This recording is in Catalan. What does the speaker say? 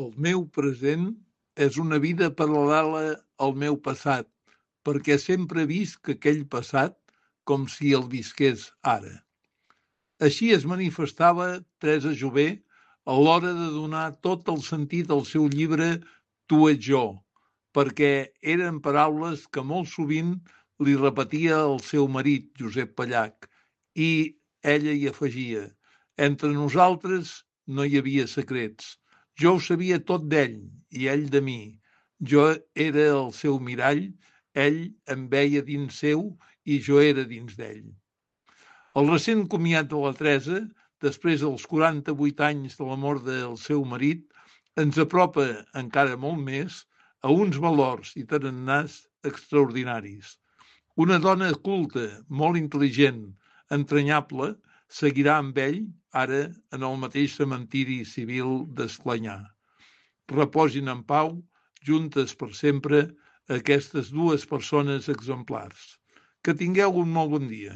El meu present és una vida paral·lela al meu passat, perquè sempre visc aquell passat com si el visqués ara. Així es manifestava Teresa Jové a l'hora de donar tot el sentit al seu llibre Tu ets jo, perquè eren paraules que molt sovint li repetia el seu marit, Josep Pallach, i ella hi afegia: entre nosaltres no hi havia secrets. Jo ho sabia tot d'ell i ell de mi. Jo era el seu mirall, ell em veia dins seu i jo era dins d'ell. El recent comiat de la Teresa, després dels 48 anys de la mort del seu marit, ens apropa encara molt més a uns valors i tarannàs extraordinaris. Una dona culta, molt intel·ligent, entranyable, seguirà amb ell ara en el mateix cementiri civil d'Esclanyà. Reposin en pau, juntes per sempre, aquestes dues persones exemplars. Que tingueu un molt bon dia.